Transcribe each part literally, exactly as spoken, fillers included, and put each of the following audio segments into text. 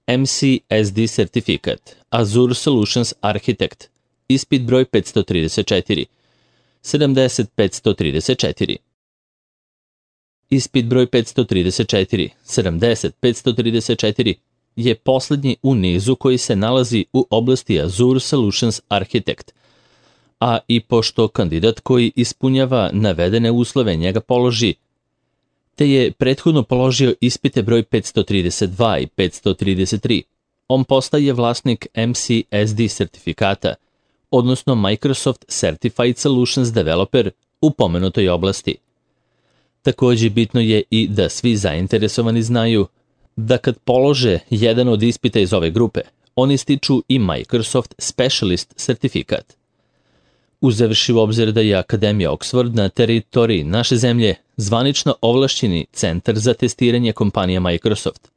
M C S D sertifikat, Azure Solutions Architect, ispit broj petsto trideset četiri, sedamdeset petsto trideset četiri. Ispit broj petsto trideset četiri, sedamdeset petsto trideset četiri je poslednji u nizu koji se nalazi u oblasti Azure Solutions Architect, a i pošto kandidat koji ispunjava navedene uslove njega položi, te je prethodno položio ispite broj petsto trideset dva i petsto trideset tri, on postaje vlasnik M C S D sertifikata, odnosno Microsoft Certified Solutions Developer u pomenutoj oblasti. Takođe bitno je i da svi zainteresovani znaju da kad polože jedan od ispita iz ove grupe, oni stiču i Microsoft Specialist sertifikat. Uzevši u obzir da je Akademija Oxford na teritoriji naše zemlje zvanično ovlašćeni centar za testiranje kompanija Microsoft,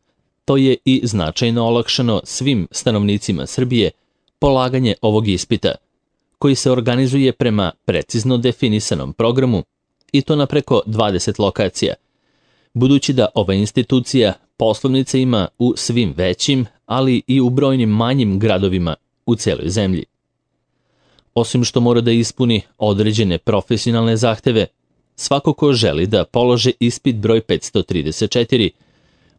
to je i značajno olakšano svim stanovnicima Srbije polaganje ovog ispita, koji se organizuje prema precizno definisanom programu i to na preko dvadeset lokacija, budući da ova institucija poslovnice ima u svim većim, ali i u brojnim manjim gradovima u celoj zemlji. Osim što mora da ispuni određene profesionalne zahteve, svako ko želi da polože ispit broj petsto trideset četiri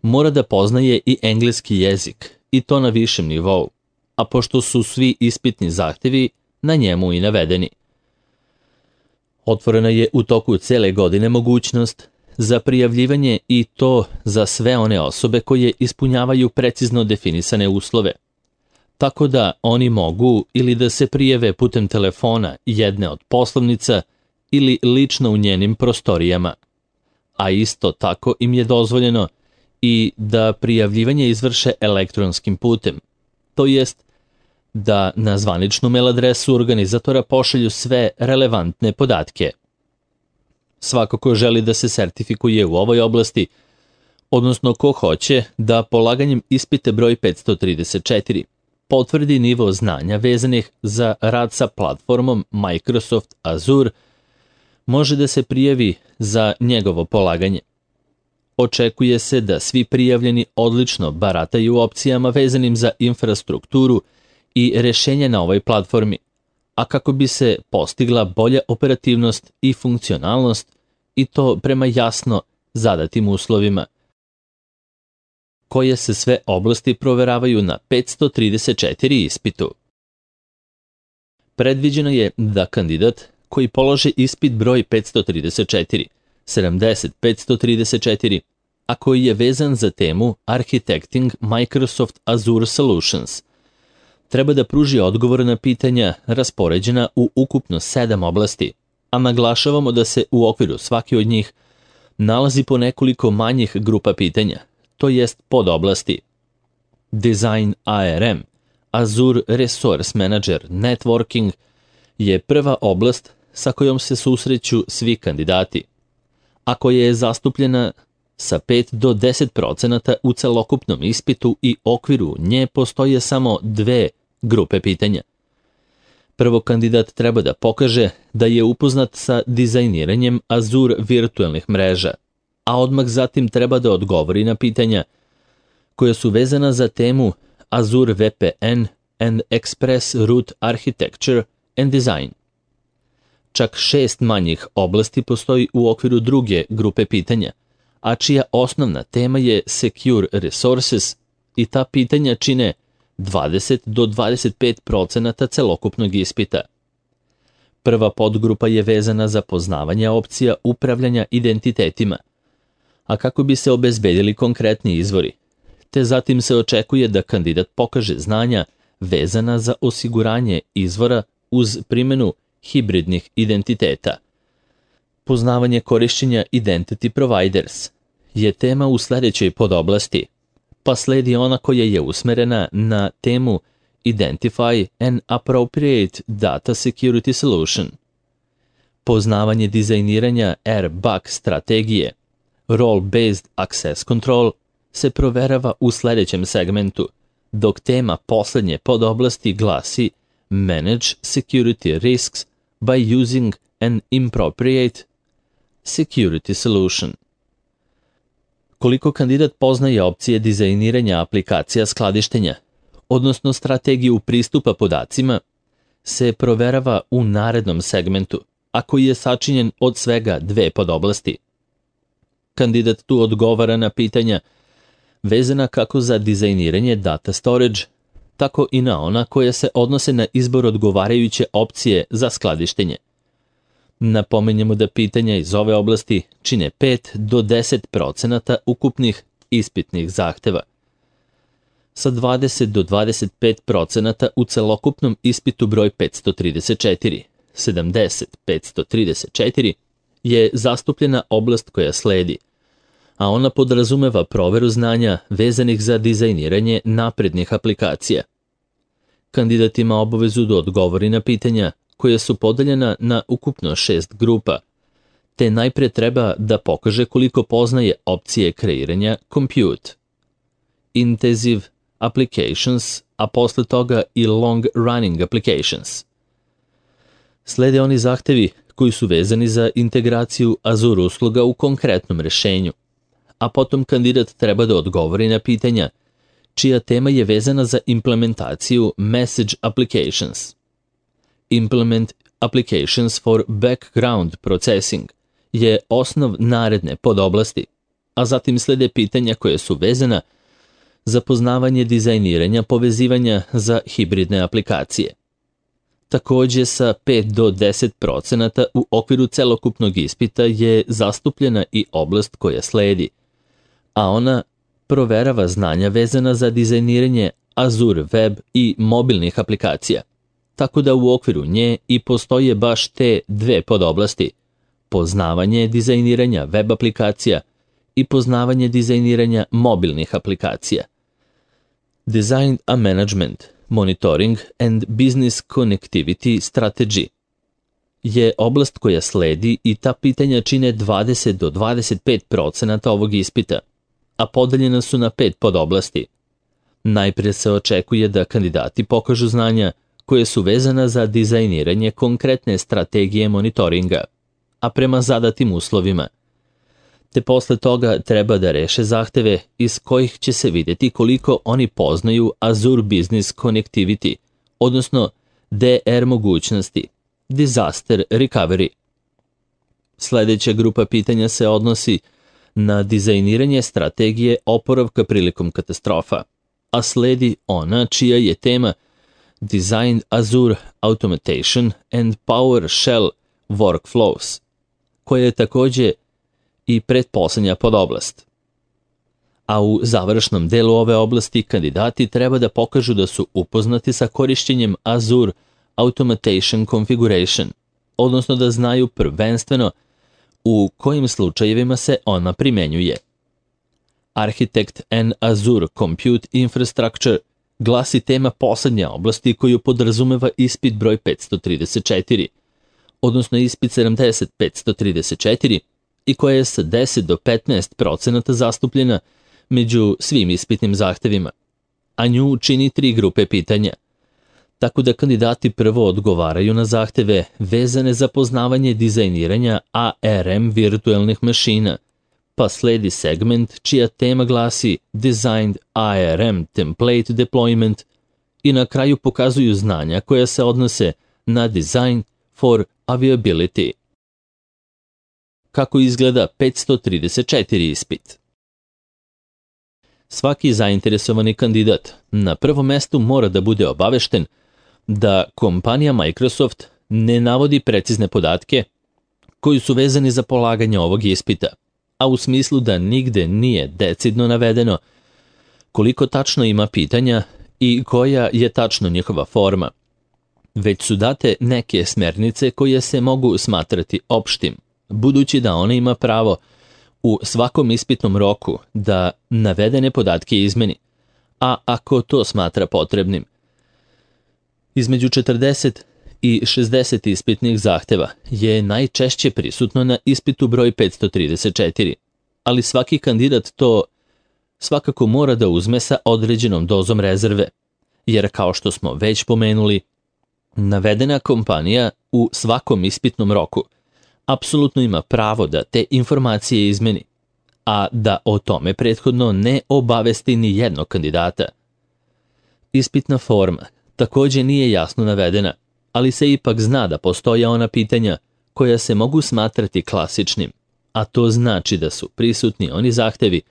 mora da poznaje i engleski jezik, i to na višem nivou, a pošto su svi ispitni zahtevi na njemu i navedeni. Otvorena je u toku cele godine mogućnost za prijavljivanje i to za sve one osobe koje ispunjavaju precizno definisane uslove, tako da oni mogu ili da se prijave putem telefona jedne od poslovnica ili lično u njenim prostorijama, a isto tako im je dozvoljeno i da prijavljivanje izvrše elektronskim putem, to jest da na zvaničnu mail adresu organizatora pošalju sve relevantne podatke. Svako ko želi da se sertifikuje u ovoj oblasti, odnosno ko hoće da polaganjem ispite broj petsto trideset četiri potvrdi nivo znanja vezanih za rad sa platformom Microsoft Azure, može da se prijavi za njegovo polaganje. Očekuje se da svi prijavljeni odlično barataju opcijama vezanim za infrastrukturu i rešenje na ovoj platformi, a kako bi se postigla bolja operativnost i funkcionalnost i to prema jasno zadatim uslovima, koje se sve oblasti proveravaju na petsto trideset četiri ispitu. Predviđeno je da kandidat koji polože ispit broj petsto trideset četiri, sedamdeset petsto trideset četiri, a koji je vezan za temu Architecting Microsoft Azure Solutions, treba da pruži odgovor na pitanja raspoređena u ukupno sedam oblasti, a naglašavamo da se u okviru svake od njih nalazi po nekoliko manjih grupa pitanja, to jest podoblasti. Design A R M, Azure Resource Manager Networking, je prva oblast sa kojom se susreću svi kandidati, a koja je zastupljena sa pet do deset procenata u celokupnom ispitu i okviru nje postoje samo dve grupe pitanja. Prvo kandidat treba da pokaže da je upoznat sa dizajniranjem Azure virtualnih mreža, a odmah zatim treba da odgovori na pitanja koja su vezana za temu Azure V P N and Express Route Architecture and Design. Čak šest manjih oblasti postoji u okviru druge grupe pitanja, a čija osnovna tema je Secure Resources i ta pitanja čine dvadeset do dvadeset pet procenata celokupnog ispita. Prva podgrupa je vezana za poznavanje opcija upravljanja identitetima, a kako bi se obezbedili konkretni izvori, te zatim se očekuje da kandidat pokaže znanja vezana za osiguranje izvora uz primjenu hibridnih identiteta. Poznavanje korišćenja Identity Providers je tema u sledećoj podoblasti, pa sledi ona koja je usmerena na temu Identify an Appropriate Data Security Solution. Poznavanje dizajniranja R B A C strategije, Role-Based Access Control, se proverava u sledećem segmentu, dok tema poslednje podoblasti glasi Manage Security Risks by Using an Appropriate Security Solution. koliko kandidat poznaje opcije dizajniranja aplikacija skladištenja, odnosno strategiju pristupa podacima, se proverava u narednom segmentu, a koji je sačinjen od svega dve podoblasti. Kandidat tu odgovara na pitanja vezana kako za dizajniranje data storage, tako i na ona koja se odnose na izbor odgovarajuće opcije za skladištenje. Napomenjemo da pitanja iz ove oblasti čine pet do deset procenata ukupnih ispitnih zahteva. Sa dvadeset do dvadeset pet procenata u celokupnom ispitu broj petsto trideset četiri, sedamdeset petsto trideset četiri je zastupljena oblast koja sledi, a ona podrazumeva proveru znanja vezanih za dizajniranje naprednih aplikacija. Kandidat ima obavezu da odgovori na pitanja koja su podeljena na ukupno šest grupa, te najpre treba da pokaže koliko poznaje opcije kreiranja compute, intensive applications, a posle toga i long running applications. Slede oni zahtevi koji su vezani za integraciju Azure usluga u konkretnom rešenju, a potom kandidat treba da odgovori na pitanja čija tema je vezana za implementaciju message applications. Implement applications for background processing je osnov naredne podoblasti, a zatim slede pitanja koje su vezana za poznavanje dizajniranja povezivanja za hibridne aplikacije. Takođe sa pet do deset procenata u okviru celokupnog ispita je zastupljena i oblast koja sledi, a ona proverava znanja vezana za dizajniranje Azure web i mobilnih aplikacija, tako da u okviru nje i postoje baš te dve podoblasti, poznavanje dizajniranja web aplikacija i poznavanje dizajniranja mobilnih aplikacija. Design a Management, Monitoring and Business Connectivity Strategy je oblast koja sledi i ta pitanja čine dvadeset do dvadeset pet procenata ovog ispita, a podeljena su na pet podoblasti. Najprije se očekuje da kandidati pokažu znanja koje su vezana za dizajniranje konkretne strategije monitoringa, a prema zadatim uslovima, te posle toga treba da reše zahteve iz kojih će se vidjeti koliko oni poznaju Azure Business Connectivity, odnosno D R mogućnosti, Disaster Recovery. Sledeća grupa pitanja se odnosi na dizajniranje strategije oporavka prilikom katastrofa, a sledi ona čija je tema Design Azure Automation and PowerShell Workflows, koja je takođe i pretposlednja podoblast. A u završnom delu ove oblasti kandidati treba da pokažu da su upoznati sa korišćenjem Azure Automation Configuration, odnosno da znaju prvenstveno u kojim slučajevima se ona primenjuje. Architect and Azure Compute Infrastructure glasi tema poslednje oblasti koju podrazumeva ispit broj petsto trideset četiri, odnosno ispit sedamdeset petsto trideset četiri, i koja je sa deset do petnaest procenata zastupljena među svim ispitnim zahtevima, a nju čini tri grupe pitanja, tako da kandidati prvo odgovaraju na zahteve vezane za poznavanje dizajniranja A R M virtualnih mašina, pa sledi segment čija tema glasi Designed A R M Template Deployment i na kraju pokazuju znanja koja se odnose na Design for Availability. Kako izgleda petsto trideset četiri ispit? Svaki zainteresovani kandidat na prvom mestu mora da bude obavešten da kompanija Microsoft ne navodi precizne podatke koji su vezani za polaganje ovog ispita, a u smislu da nigde nije decidno navedeno koliko tačno ima pitanja i koja je tačno njihova forma, već su date neke smernice koje se mogu smatrati opštim, budući da ona ima pravo u svakom ispitnom roku da navedene podatke izmeni, a ako to smatra potrebnim. Između četrdeset i šezdeset ispitnih zahteva je najčešće prisutno na ispitu broj petsto trideset četiri, ali svaki kandidat to svakako mora da uzme sa određenom dozom rezerve, jer kao što smo već pomenuli, navedena kompanija u svakom ispitnom roku apsolutno ima pravo da te informacije izmeni, a da o tome prethodno ne obavesti ni jednog kandidata. Ispitna forma također nije jasno navedena, ali se ipak zna da postoje ona pitanja koja se mogu smatrati klasičnim, a to znači da su prisutni oni zahtevi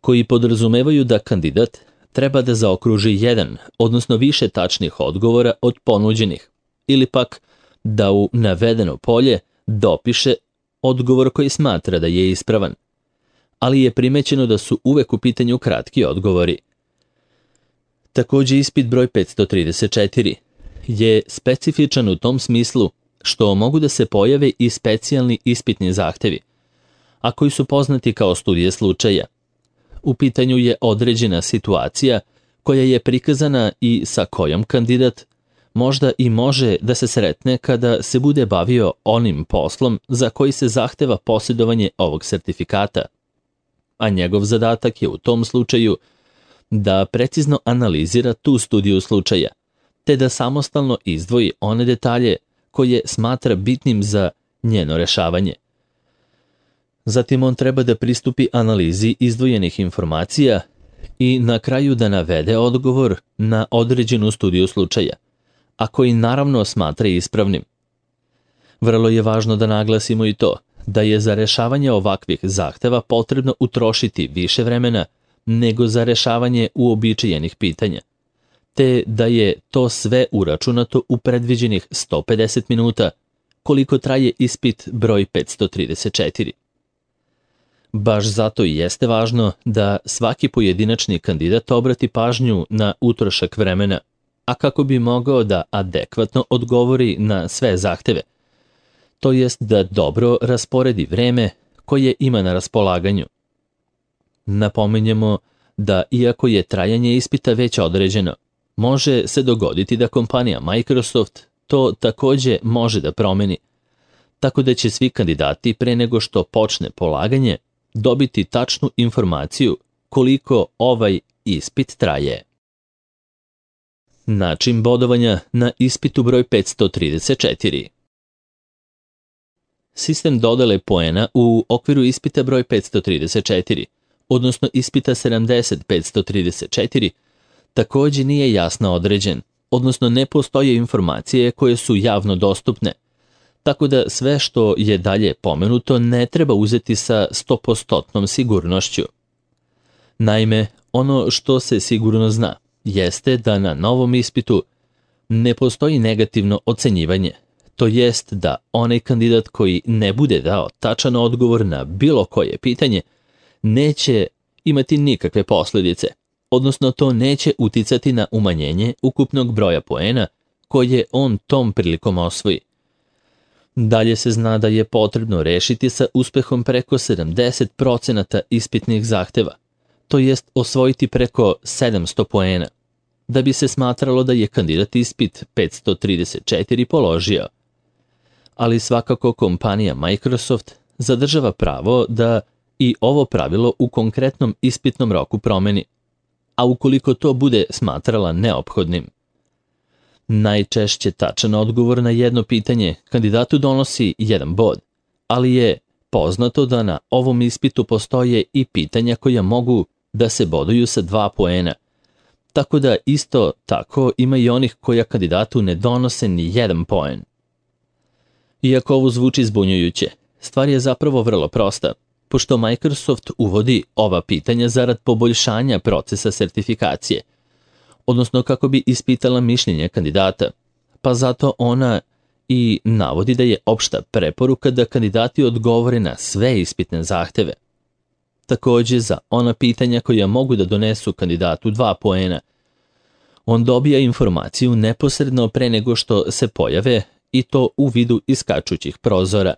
koji podrazumevaju da kandidat treba da zaokruži jedan, odnosno više tačnih odgovora od ponuđenih, ili pak da u navedeno polje dopiše odgovor koji smatra da je ispravan, ali je primećeno da su uvek u pitanju kratki odgovori. Također ispit broj petsto trideset četiri je specifičan u tom smislu što mogu da se pojave i specijalni ispitni zahtevi, a koji su poznati kao studije slučaja. U pitanju je određena situacija koja je prikazana i sa kojom kandidat možda i može da se sretne kada se bude bavio onim poslom za koji se zahteva posjedovanje ovog sertifikata, a njegov zadatak je u tom slučaju da precizno analizira tu studiju slučaja, te da samostalno izdvoji one detalje koje smatra bitnim za njeno rešavanje. Zatim on treba da pristupi analizi izdvojenih informacija i na kraju da navede odgovor na određenu studiju slučaja, a koji naravno smatra ispravnim. Vrlo je važno da naglasimo i to da je za rešavanje ovakvih zahteva potrebno utrošiti više vremena nego za rešavanje uobičajenih pitanja, te da je to sve uračunato u predviđenih sto pedeset minuta, koliko traje ispit broj petsto trideset četiri. Baš zato i jeste važno da svaki pojedinačni kandidat obrati pažnju na utrošak vremena, a kako bi mogao da adekvatno odgovori na sve zahteve, to jest da dobro rasporedi vreme koje ima na raspolaganju. Napominjemo da iako je trajanje ispita već određeno, može se dogoditi da kompanija Microsoft to također može da promeni, tako da će svi kandidati pre nego što počne polaganje dobiti tačnu informaciju koliko ovaj ispit traje. Način bodovanja na ispitu broj petsto trideset četiri. Sistem dodele poena u okviru ispita broj petsto trideset četiri, odnosno ispita sedamdeset petsto trideset četiri, također nije jasno određen, odnosno ne postoje informacije koje su javno dostupne, tako da sve što je dalje pomenuto ne treba uzeti sa sto posto sigurnošću. Naime, ono što se sigurno zna jeste da na novom ispitu ne postoji negativno ocenjivanje, to jest da onaj kandidat koji ne bude dao tačan odgovor na bilo koje pitanje neće imati nikakve posljedice, odnosno to neće uticati na umanjenje ukupnog broja poena koje on tom prilikom osvoji. Dalje se zna da je potrebno rešiti sa uspehom preko sedamdeset procenata ispitnih zahteva, to jest osvojiti preko sedamsto poena, da bi se smatralo da je kandidat ispit petsto trideset četiri položio. Ali svakako kompanija Microsoft zadržava pravo da i ovo pravilo u konkretnom ispitnom roku promeni, a ukoliko to bude smatrala neophodnim. Najčešće tačan odgovor na jedno pitanje kandidatu donosi jedan bod, ali je poznato da na ovom ispitu postoje i pitanja koja mogu da se boduju sa dva poena, tako da isto tako ima i onih koja kandidatu ne donose ni jedan poen. Iako ovo zvuči zbunjujuće, stvar je zapravo vrlo prosta, pošto Microsoft uvodi ova pitanja zarad poboljšanja procesa sertifikacije, odnosno kako bi ispitala mišljenje kandidata, pa zato ona i navodi da je opšta preporuka da kandidati odgovore na sve ispitne zahteve. Također za ona pitanja koja mogu da donesu kandidatu dva poena, on dobija informaciju neposredno pre nego što se pojave i to u vidu iskačućih prozora.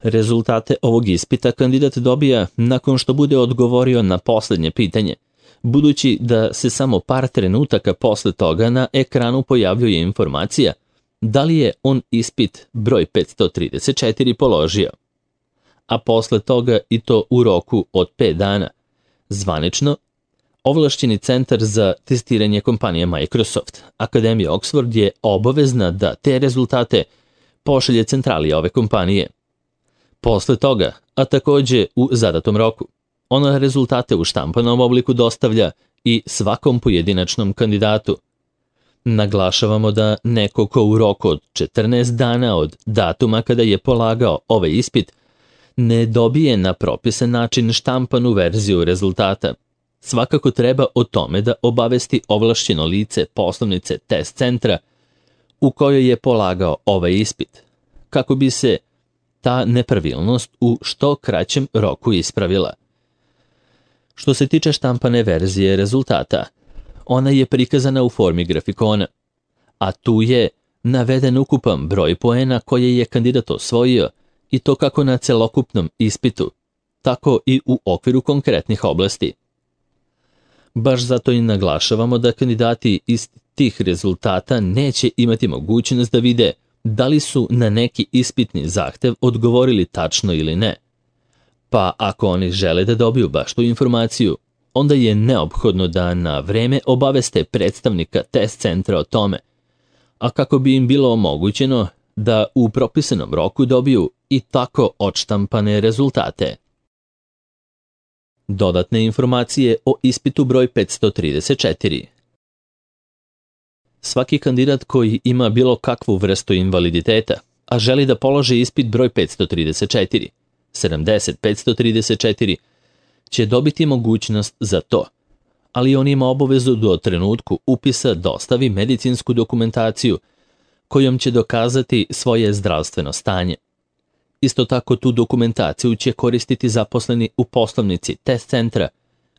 Rezultate ovog ispita kandidat dobija nakon što bude odgovorio na posljednje pitanje, budući da se samo par trenutaka posle toga na ekranu pojavljuje informacija da li je on ispit broj petsto trideset četiri položio, a posle toga i to u roku od pet dana. Zvanično, ovlašćeni centar za testiranje kompanije Microsoft, Akademija Oxford, je obavezna da te rezultate pošalje centrali ove kompanije. Posle toga, a takođe u zadatom roku, ona rezultate u štampanom obliku dostavlja i svakom pojedinačnom kandidatu. Naglašavamo da neko ko u roku od četrnaest dana od datuma kada je polagao ovaj ispit ne dobije na propisan način štampanu verziju rezultata, svakako treba o tome da obavesti ovlašćeno lice poslovnice test centra u kojoj je polagao ovaj ispit, kako bi se ta nepravilnost u što kraćem roku ispravila. Što se tiče štampane verzije rezultata, ona je prikazana u formi grafikona, a tu je naveden ukupan broj poena koje je kandidat osvojio i to kako na celokupnom ispitu, tako i u okviru konkretnih oblasti. Baš zato i naglašavamo da kandidati iz tih rezultata neće imati mogućnost da vide da li su na neki ispitni zahtev odgovorili tačno ili ne. Pa ako oni žele da dobiju baš tu informaciju, onda je neophodno da na vreme obaveste predstavnika test centra o tome, a kako bi im bilo omogućeno da u propisanom roku dobiju i tako odštampane rezultate. Dodatne informacije o ispitu broj petsto trideset četiri. Svaki kandidat koji ima bilo kakvu vrstu invaliditeta, a želi da položi ispit broj petsto trideset četiri, sedamdeset petsto trideset četiri, će dobiti mogućnost za to, ali on ima obavezu do trenutku upisa dostavi medicinsku dokumentaciju kojom će dokazati svoje zdravstveno stanje. Isto tako tu dokumentaciju će koristiti zaposleni u poslovnici test centra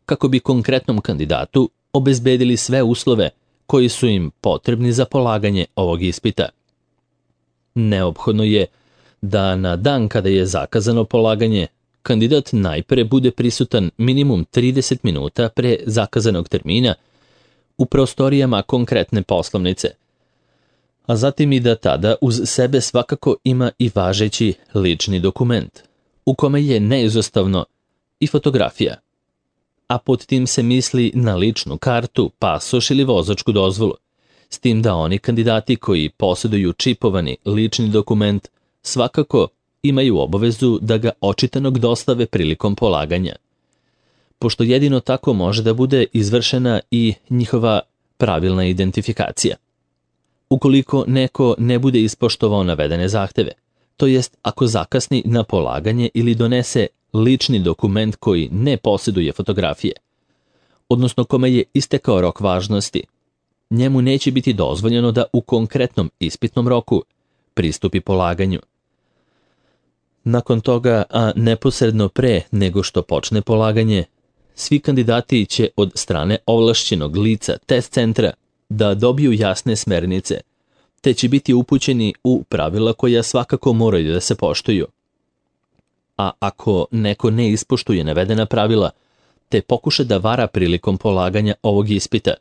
kako bi konkretnom kandidatu obezbedili sve uslove koji su im potrebni za polaganje ovog ispita. Neophodno je da na dan kada je zakazano polaganje, kandidat najpre bude prisutan minimum trideset minuta pre zakazanog termina u prostorijama konkretne poslovnice, a zatim i da tada uz sebe svakako ima i važeći lični dokument, u kome je neizostavno i fotografija, a pod tim se misli na ličnu kartu, pasoš ili vozačku dozvolu, s tim da oni kandidati koji posjeduju čipovani lični dokument svakako imaju obavezu da ga očitanog dostave prilikom polaganja, pošto jedino tako može da bude izvršena i njihova pravilna identifikacija. Ukoliko neko ne bude ispoštovao navedene zahteve, to jest ako zakasni na polaganje ili donese lični dokument koji ne posjeduje fotografije, odnosno kome je istekao rok važnosti, njemu neće biti dozvoljeno da u konkretnom ispitnom roku pristupi polaganju. Nakon toga, a neposredno pre nego što počne polaganje, svi kandidati će od strane ovlašćenog lica test centra da dobiju jasne smernice, te će biti upućeni u pravila koja svakako moraju da se poštuju. A ako neko ne ispoštuje navedena pravila, te pokuša da vara prilikom polaganja ovog ispita,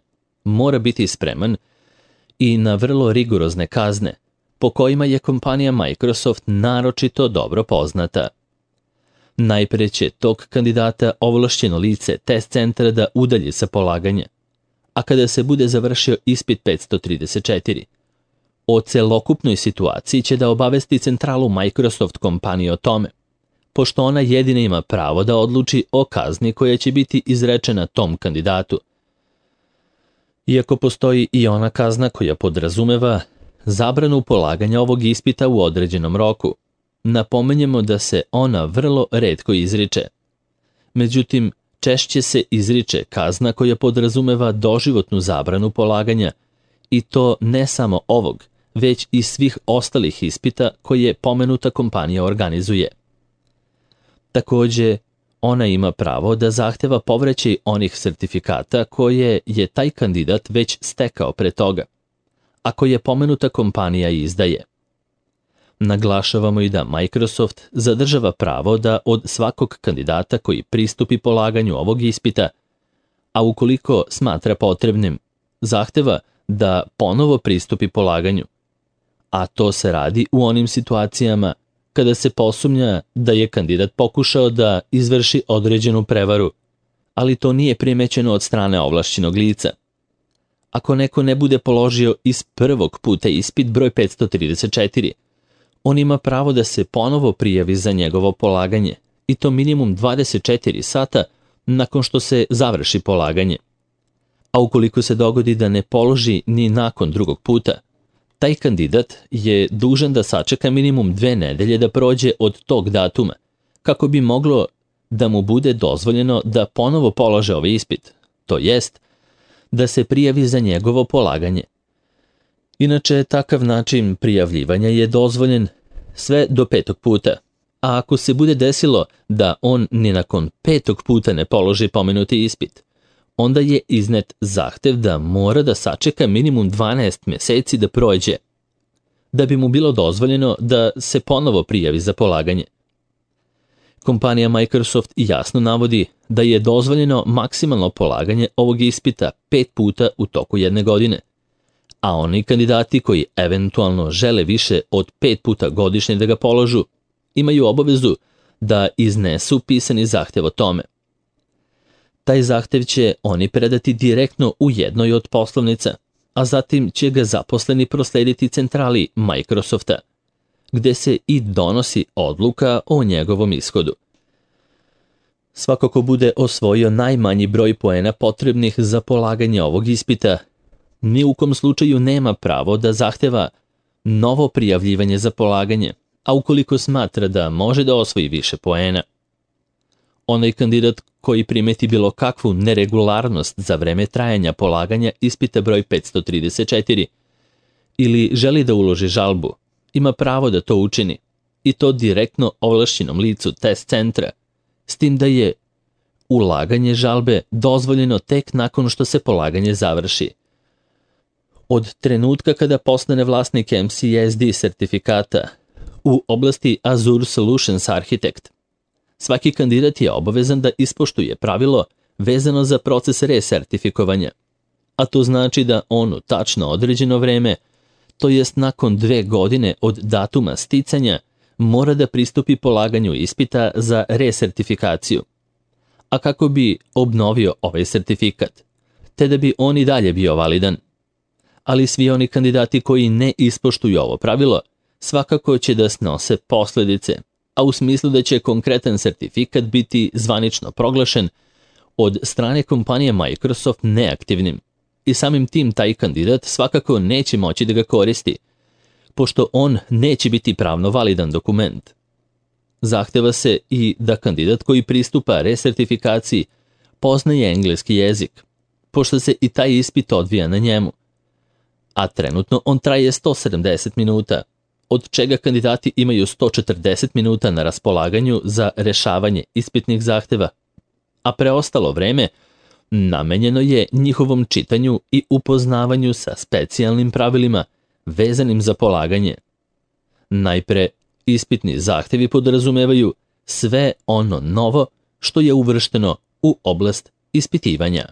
mora biti spreman i na vrlo rigorozne kazne, po kojima je kompanija Microsoft naročito dobro poznata. Najpre će tog kandidata ovlašćeno lice test centra da udalji sa polaganja, a kada se bude završio ispit petsto trideset četiri, o celokupnoj situaciji će da obavesti centralu Microsoft kompanije o tome, pošto ona jedina ima pravo da odluči o kazni koja će biti izrečena tom kandidatu. Iako postoji i ona kazna koja podrazumeva zabranu polaganja ovog ispita u određenom roku, napomenjemo da se ona vrlo retko izriče. Međutim, češće se izriče kazna koja podrazumeva doživotnu zabranu polaganja, i to ne samo ovog, već i svih ostalih ispita koje pomenuta kompanija organizuje. Takođe, ona ima pravo da zahteva povraćaj onih sertifikata koje je taj kandidat već stekao pre toga, a koje pomenuta kompanija izdaje. Naglašavamo i da Microsoft zadržava pravo da od svakog kandidata koji pristupi polaganju ovog ispita, a ukoliko smatra potrebnim, zahteva da ponovo pristupi polaganju, a to se radi u onim situacijama kada se posumnja da je kandidat pokušao da izvrši određenu prevaru, ali to nije primećeno od strane ovlašćenog lica. Ako neko ne bude položio iz prvog puta ispit broj petsto trideset četiri, On ima pravo da se ponovo prijavi za njegovo polaganje, i to minimum dvadeset četiri sata nakon što se završi polaganje. A ukoliko se dogodi da ne položi ni nakon drugog puta, taj kandidat je dužan da sačeka minimum dve nedelje da prođe od tog datuma, kako bi moglo da mu bude dozvoljeno da ponovo polože ovaj ispit, to jest da se prijavi za njegovo polaganje. Inače, takav način prijavljivanja je dozvoljen sve do petog puta, a ako se bude desilo da on ni nakon petog puta ne položi pomenuti ispit, onda je iznet zahtev da mora da sačeka minimum dvanaest meseci da prođe, da bi mu bilo dozvoljeno da se ponovo prijavi za polaganje. Kompanija Microsoft jasno navodi da je dozvoljeno maksimalno polaganje ovog ispita pet puta u toku jedne godine, a oni kandidati koji eventualno žele više od pet puta godišnje da ga položu, imaju obavezu da iznesu pisani zahtev o tome. Taj zahtev će oni predati direktno u jednoj od poslovnica, a zatim će ga zaposleni proslediti centrali Microsofta, gde se i donosi odluka o njegovom ishodu. Svako ko bude osvojio najmanji broj poena potrebnih za polaganje ovog ispita, ni u kom slučaju nema pravo da zahteva novo prijavljivanje za polaganje, a ukoliko smatra da može da osvoji više poena. Onaj kandidat koji primeti bilo kakvu neregularnost za vreme trajanja polaganja ispita broj petsto trideset četiri ili želi da uloži žalbu, ima pravo da to učini, i to direktno ovlašćenom licu test centra, s tim da je ulaganje žalbe dozvoljeno tek nakon što se polaganje završi. Od trenutka kada postane vlasnik M C S D sertifikata u oblasti Azure Solutions Architect, svaki kandidat je obavezan da ispoštuje pravilo vezano za proces resertifikovanja, a to znači da on u tačno određeno vreme, to jest nakon dve godine od datuma sticanja, mora da pristupi polaganju ispita za resertifikaciju. A kako bi obnovio ovaj sertifikat, te da bi on i dalje bio validan. Ali svi oni kandidati koji ne ispoštuju ovo pravilo, svakako će da snose posledice, a u smislu da će konkretan sertifikat biti zvanično proglašen od strane kompanije Microsoft neaktivnim, i samim tim taj kandidat svakako neće moći da ga koristi, pošto on neće biti pravno validan dokument. Zahteva se i da kandidat koji pristupa resertifikaciji poznaje engleski jezik, pošto se i taj ispit odvija na njemu, a trenutno on traje sto sedamdeset minuta, od čega kandidati imaju sto četrdeset minuta na raspolaganju za rešavanje ispitnih zahteva, a preostalo vreme namenjeno je njihovom čitanju i upoznavanju sa specijalnim pravilima vezanim za polaganje. Najpre, ispitni zahtevi podrazumevaju sve ono novo što je uvršteno u oblast ispitivanja.